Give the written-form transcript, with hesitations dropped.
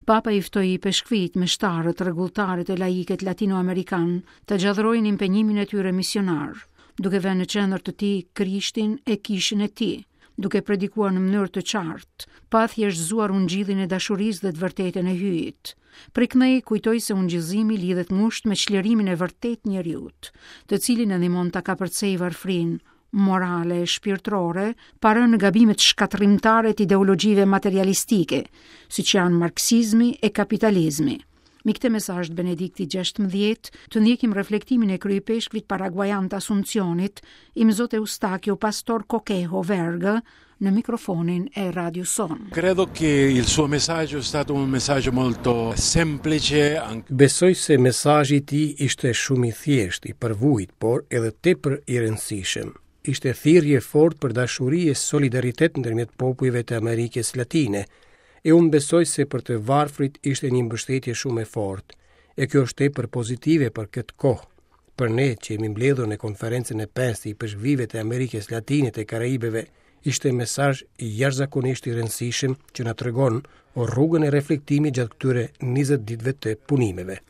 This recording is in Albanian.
Papa i ftoi ipeshkvijtë, meshtarët, rregulltarët e laikët latinoamerikanë të gjallërojnë impenjimin e tyre misionar, duke vënë në qendër të tij Krishtin e Kishën e Tij, duke predikuar në mënyrë të qartë, pa thjeshtëzuar ungjillin e dashurisë dhe të vërtetën e Hyjit. Prej këndej kujtoi se ungjillëzimi lidhet ngushtë me çlirimin e vërtetë të njeriut, të cilin e ndihmon ta kapërcejë varfërinë morale e shpirtërore, pa rënë në gabimet shkatërrimtare të ideologjive materialistike, siç janë marksizmi e kapitalizmi. Mbi këtë mesazh të Benediktit 16, të ndjekim reflektimin e kryeipeshkvit paraguajan të Asuncionit, Imzot Eustakio Pastor Coquejo Verga, në mikrofonin e radios sonë. Credo che il suo messaggio è stato un messaggio molto semplice. Besoj se mesazhi i tij ishte shumë i thjeshtë, i përvujt, por edhe tepër i rëndësishëm. Ishte thirrje e fortë për dashuri e solidaritet ndërmjet popujve të Amerikës Latine. E unë besoj se për të varfrit ishte një mbështetje shumë e fortë. E kjo është tepër pozitive për këtë kohë. Për ne që jemi mbledhur në konferencën e pestë të ipeshkvijve të Amerikës Latine të Karaibeve, ishte mesazh jashtëzakonisht i rëndësishëm që na tregon rrugën e reflektimit gjatë këtyre 20 ditëve të punimeve.